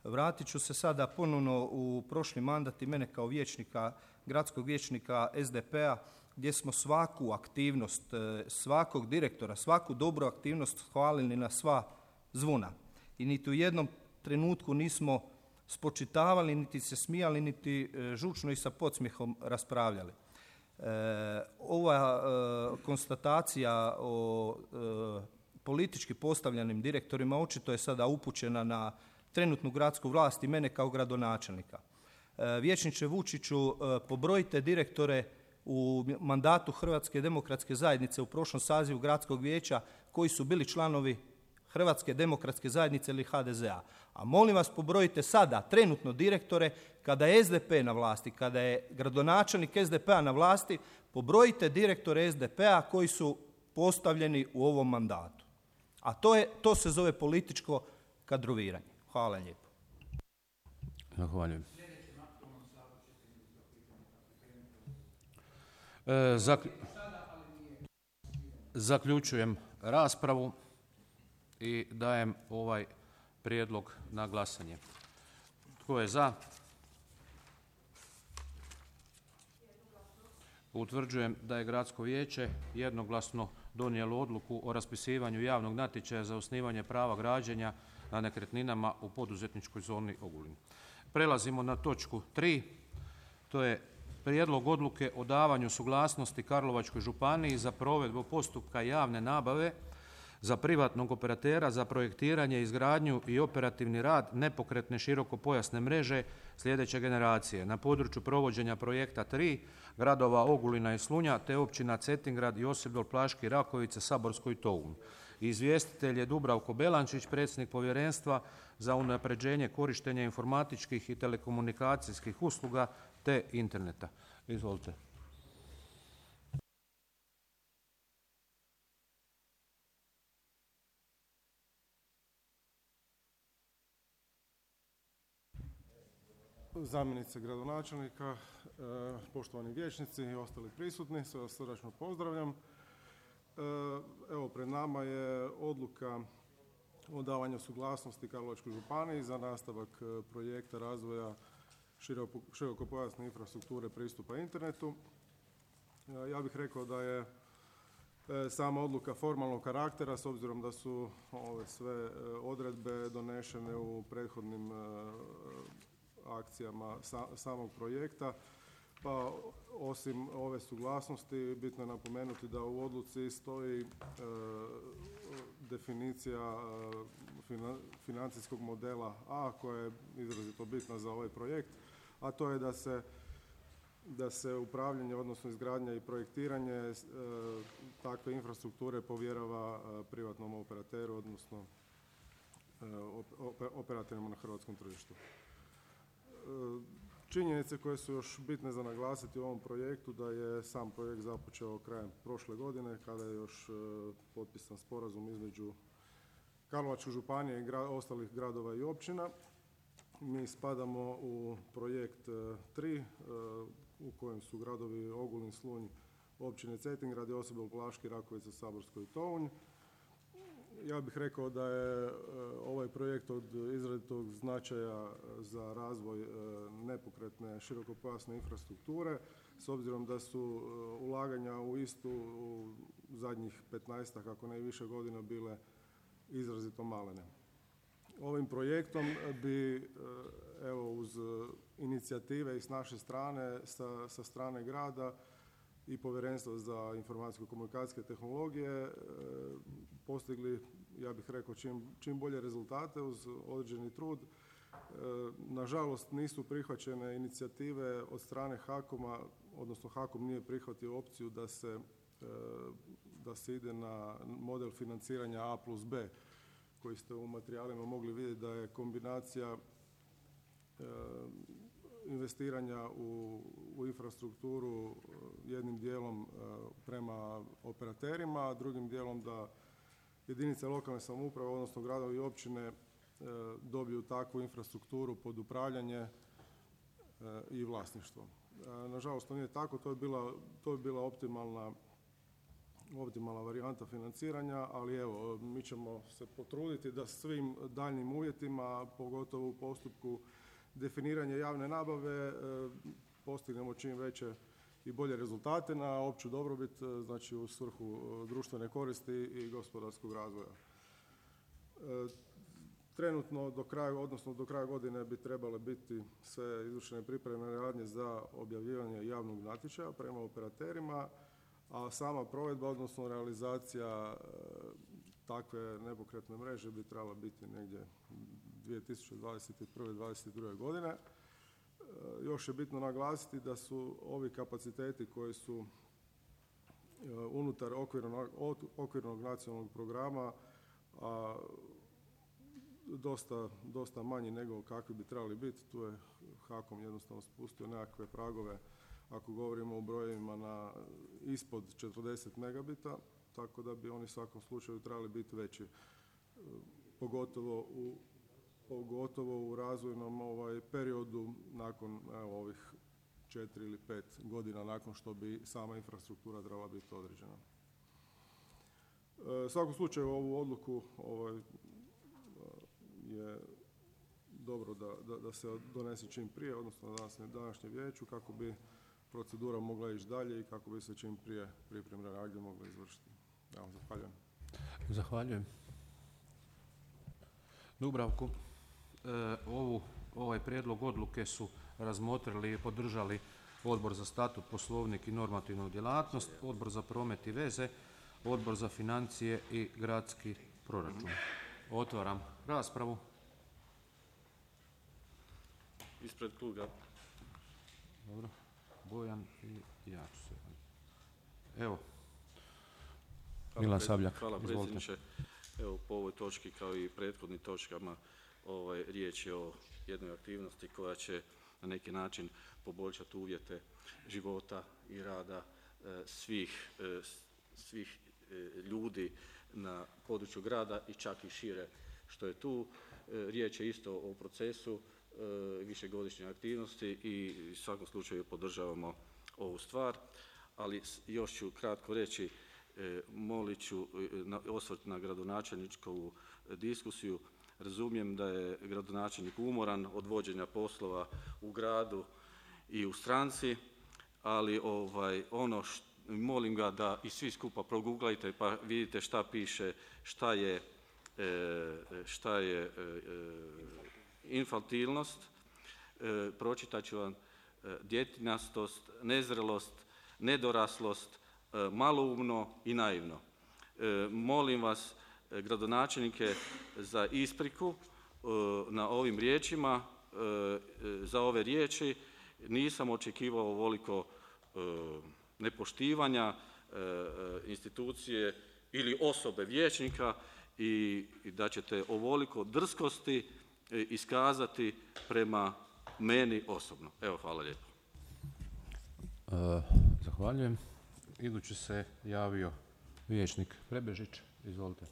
Vratit ću se sada ponovno u prošli mandat i mene kao vijećnika, gradskog vijećnika SDP-a, gdje smo svaku aktivnost, svakog direktora, svaku dobru aktivnost hvalili na sva zvona. I niti u jednom trenutku nismo spočitavali, niti se smijali, niti žučno i sa podsmjehom raspravljali. Ova konstatacija o politički postavljenim direktorima očito je sada upućena na trenutnu gradsku vlast i mene kao gradonačelnika. Vijećniče Vučiću, pobrojite direktore u mandatu Hrvatske demokratske zajednice u prošlom sazivu gradskog vijeća koji su bili članovi Hrvatske demokratske zajednice ili HDZ-a. A molim vas, pobrojite sada trenutno direktore kada je SDP na vlasti, kada je gradonačelnik SDP-a na vlasti, pobrojite direktore SDP-a koji su postavljeni u ovom mandatu. A to se zove političko kadroviranje. Hvala lijepo. Zahvaljujem. Zaključujem raspravu i dajem ovaj prijedlog na glasanje. Tko je za? Utvrđujem da je Gradsko vijeće jednoglasno donijelo odluku o raspisivanju javnog natječaja za osnivanje prava građenja na nekretninama u poduzetničkoj zoni Ogulin. Prelazimo na točku 3. To je prijedlog odluke o davanju suglasnosti Karlovačkoj županiji za provedbu postupka javne nabave za privatnog operatera za projektiranje, izgradnju i operativni rad nepokretne širokopojasne mreže sljedeće generacije na području provođenja projekta 3 gradova Ogulina i Slunja te općina Cetingrad, Josipdol, Plaški, Rakovica, Saborsko i Tounj. Izvjestitelj je Dubravko Belančić, predsjednik Povjerenstva za unapređenje korištenja informatičkih i telekomunikacijskih usluga te interneta. Izvolite. Zamjenice gradonačelnika, poštovani vijećnici i ostali prisutni, sve vas srdačno pozdravljam. Evo, pred nama je odluka o davanju suglasnosti Karlovačkoj županiji za nastavak projekta razvoja širokopojasne infrastrukture pristupa internetu. Ja bih rekao da je sama odluka formalnog karaktera, s obzirom da su ove sve odredbe donešene u prethodnim akcijama samog projekta, pa osim ove suglasnosti bitno je napomenuti da u odluci stoji definicija financijskog modela A koja je izrazito bitna za ovaj projekt, a to je da se upravljanje, odnosno izgradnja i projektiranje takve infrastrukture povjerava privatnom operateru, odnosno operatorima na hrvatskom tržištu. Činjenice koje su još bitne za naglasiti u ovom projektu da je sam projekt započeo krajem prošle godine kada je još potpisan sporazum između Karlovačke županije i ostalih gradova i općina. Mi spadamo u projekt 3 u kojem su gradovi Ogulin, Slunj, općine Cetingrad, Josipov, Plaški, Rakovica, Saborsko i Tounj. Ja bih rekao da je ovaj projekt od izrazitog značaja za razvoj nepokretne širokopojasne infrastrukture, s obzirom da su ulaganja u istu u zadnjih 15, ako ne i više godina bile izrazito malene. Ovim projektom bi, evo, uz inicijative i s naše strane, sa strane grada i Povjerenstva za informacijsko-komunikacijske tehnologije postigli, ja bih rekao, čim bolje rezultate uz određeni trud. Nažalost, nisu prihvaćene inicijative od strane HAKOM-a, odnosno HAKOM nije prihvatio opciju da se ide na model financiranja A+B, koji ste u materijalima mogli vidjeti da je kombinacija investiranja u infrastrukturu jednim dijelom prema operaterima, a drugim dijelom da jedinice lokalne samouprave, odnosno gradovi i općine dobiju takvu infrastrukturu pod upravljanje i vlasništvo. Nažalost, to nije tako, to je bila optimalna varijanta financiranja, ali evo, mi ćemo se potruditi da svim daljnjim uvjetima, pogotovo u postupku definiranja javne nabave, postignemo čim veće i bolje rezultate na opću dobrobit, znači u svrhu društvene koristi i gospodarskog razvoja. Trenutno do kraja godine bi trebale biti sve izvršene pripremne radnje za objavljivanje javnog natječaja prema operaterima, a sama provedba, odnosno realizacija takve nepokretne mreže bi trebala biti negdje 2021-2022. godine. Još je bitno naglasiti da su ovi kapaciteti koji su unutar okvirnog nacionalnog programa dosta manji nego kakvi bi trebali biti. Tu je HAKOM jednostavno spustio nekakve pragove ako govorimo o brojevima na ispod 40 megabita, tako da bi oni u svakom slučaju trebali biti veći, pogotovo u razvojnom periodu nakon ovih 4 ili 5 godina nakon što bi sama infrastruktura trebala biti određena. U svakom slučaju ovu odluku je dobro da se donese čim prije, odnosno na današnjem vijeću, kako bi procedura mogla ići dalje i kako bi se čim prije pripremne radnje mogle izvršiti. Ja zahvaljujem. Zahvaljujem. Dubravku, ovaj prijedlog odluke su razmotrili i podržali Odbor za statut, poslovnik i normativnu djelatnost, Odbor za promet i veze, Odbor za financije i gradski proračun. Otvaram raspravu. Ispred kluba. Dobro. Bojan i ja ću se. Evo. Milan Sabljak. Hvala predsjedniče. Evo, po ovoj točki kao i prethodnim točkama riječ je o jednoj aktivnosti koja će na neki način poboljšati uvjete života i rada svih ljudi na području grada i čak i šire što je tu. Riječ je isto o procesu višegodišnje aktivnosti i u svakom slučaju podržavamo ovu stvar, ali još ću kratko reći, molit ću osvrt na gradonačelničkovu diskusiju. Razumijem da je gradonačelnik umoran od vođenja poslova u gradu i u stranci, ali molim ga da i svi skupa proguglajte pa vidite šta piše, šta je infantilnost. Pročitat ću vam: djetinjastost, nezrelost, nedoraslost, maloumno i naivno. Molim vas, gradonačelnike, za ispriku na ovim riječima, za ove riječi. Nisam očekivao ovoliko nepoštivanja institucije ili osobe vijećnika i da ćete ovoliko drskosti iskazati prema meni osobno. Evo, hvala lijepo. Zahvaljujem. Idući se javio vijećnik Prebežić. Izvolite.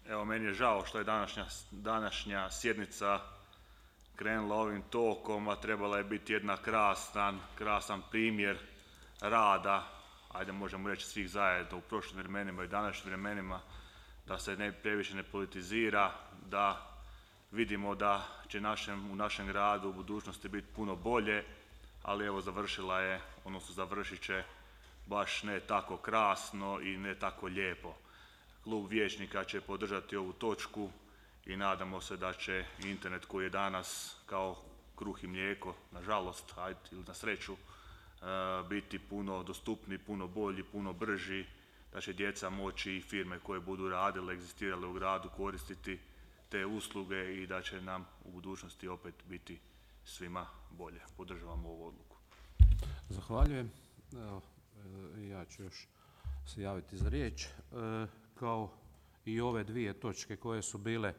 Evo, meni je žao što je današnja sjednica krenula ovim tokom, a trebala je biti jedna krasan primjer rada, ajde možemo reći svih zajedno u prošlim vremenima i današnjim vremenima, da se previše ne politizira, da vidimo da će u našem gradu u budućnosti biti puno bolje, ali evo završit će baš ne tako krasno i ne tako lijepo. Klub vijećnika će podržati ovu točku i nadamo se da će internet koji je danas kao kruh i mlijeko, nažalost, ili na sreću, biti puno dostupniji, puno bolji, puno brži, da će djeca moći i firme koje budu radile, egzistirale u gradu koristiti te usluge i da će nam u budućnosti opet biti svima bolje. Podržavam ovu odluku. Zahvaljujem. Evo, ja ću još se javiti za riječ. Kao i ove dvije točke koje su bile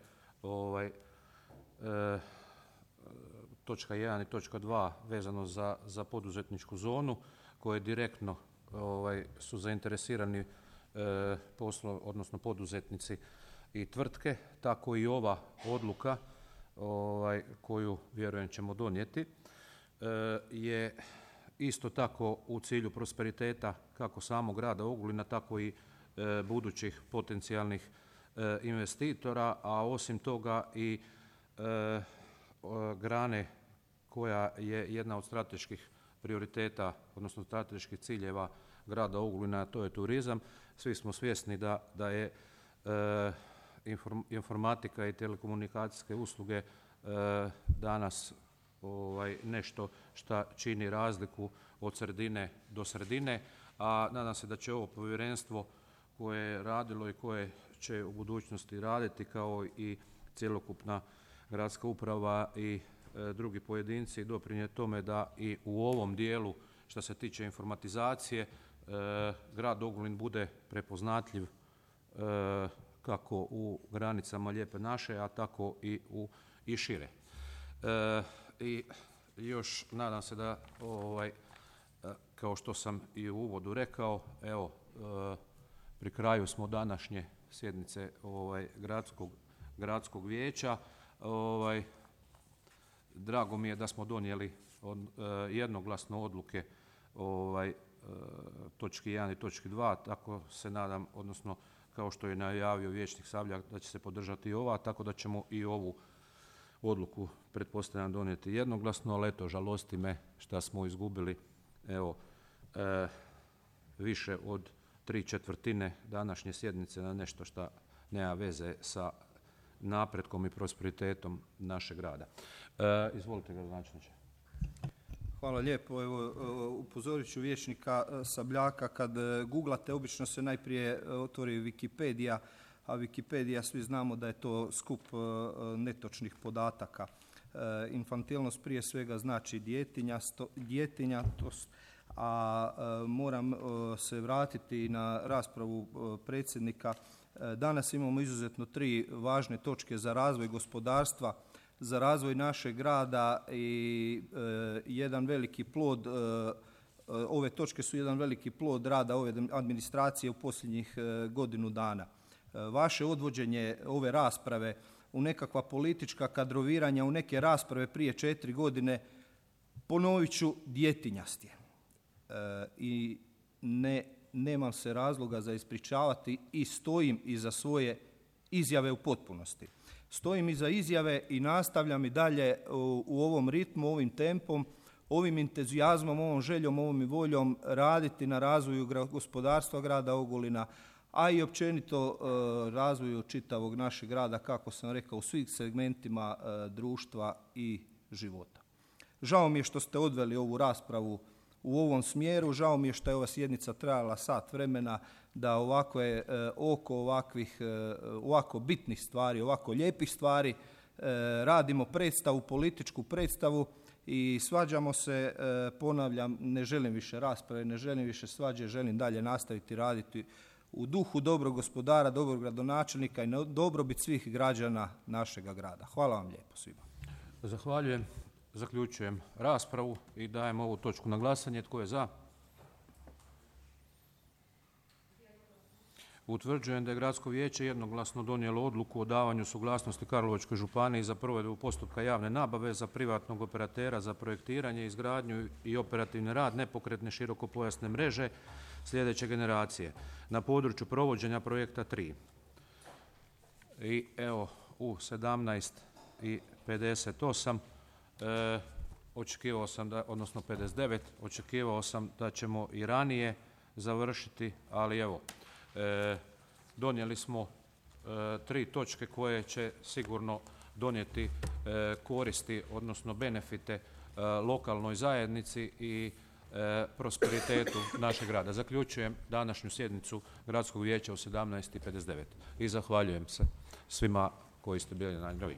točka 1 i točka 2 vezano za poduzetničku zonu koje direktno su zainteresirani odnosno poduzetnici i tvrtke, tako i ova odluka koju vjerujem ćemo donijeti je isto tako u cilju prosperiteta kako samog grada Ogulina, tako i budućih potencijalnih investitora, a osim toga i grane koja je jedna od strateških prioriteta, odnosno strateških ciljeva grada Ogulina, a to je turizam. Svi smo svjesni da je informatika i telekomunikacijske usluge danas nešto što čini razliku od sredine do sredine, a nadam se da će ovo povjerenstvo koje je radilo i koje će u budućnosti raditi, kao i cjelokupna gradska uprava i drugi pojedinci, doprinijeti tome da i u ovom dijelu što se tiče informatizacije grad Ogulin bude prepoznatljiv kako u granicama Lijepe naše, a tako i šire. I još nadam se da kao što sam i u uvodu rekao, evo pri kraju smo današnje sjednice gradskog vijeća. Drago mi je da smo donijeli jednoglasno odluke točki 1 i točki 2, tako se nadam, odnosno kao što je najavio vijećnik Sabljak, da će se podržati i ova, tako da ćemo i ovu odluku pretpostavljam donijeti jednoglasno, ali eto, žalosti me što smo izgubili više od 3/4 današnje sjednice na nešto što nema veze sa napretkom i prosperitetom našeg grada. Izvolite, gradonačelniče. Hvala lijepo. Evo, upozorit ću vijećnika Sabljaka, kad googlate obično se najprije otvori Wikipedia, a Wikipedia svi znamo da je to skup netočnih podataka. Infantilnost prije svega znači djetinjatost, a moram se vratiti na raspravu predsjednika. Danas imamo izuzetno 3 važne točke za razvoj gospodarstva, za razvoj našeg grada i jedan veliki plod, ove točke su jedan veliki plod rada ove administracije u posljednjih godinu dana. Vaše odvođenje ove rasprave u nekakva politička kadroviranja, u neke rasprave prije 4 godine, ponovit ću, djetinjast je. i nemam se razloga za ispričavati i stojim iza svoje izjave u potpunosti. Stojim iza izjave i nastavljam i dalje u ovom ritmu, ovim tempom, ovim entuzijazmom, ovom željom, ovom i voljom raditi na razvoju gospodarstva grada Ogulina, a i općenito razvoju čitavog našeg grada, kako sam rekao, u svih segmentima društva i života. Žao mi je što ste odveli ovu raspravu u ovom smjeru, žao mi je što je ova sjednica trajala sat vremena, da oko ovako bitnih stvari, ovako lijepih stvari radimo predstavu, političku predstavu i svađamo se, ponavljam, ne želim više rasprave, ne želim više svađe, želim dalje nastaviti raditi u duhu dobrog gospodara, dobrog gradonačelnika i na dobrobit svih građana našega grada. Hvala vam lijepo svima. Zahvaljujem. Zaključujem raspravu i dajem ovu točku na glasanje. Tko je za? Utvrđujem da je Gradsko vijeće jednoglasno donijelo odluku o davanju suglasnosti Karlovačkoj županiji za provedbu postupka javne nabave za privatnog operatera za projektiranje, izgradnju i operativni rad nepokretne širokopojasne mreže sljedeće generacije na području provođenja projekta 3. I evo u 17:58 očekivao sam odnosno 59, očekivao sam da ćemo i ranije završiti, ali evo, donijeli smo 3 točke koje će sigurno donijeti koristi, odnosno benefite lokalnoj zajednici i prosperitetu našeg grada. Zaključujem današnju sjednicu Gradskog vijeća u 17:59 i zahvaljujem se svima koji ste bili na njoj.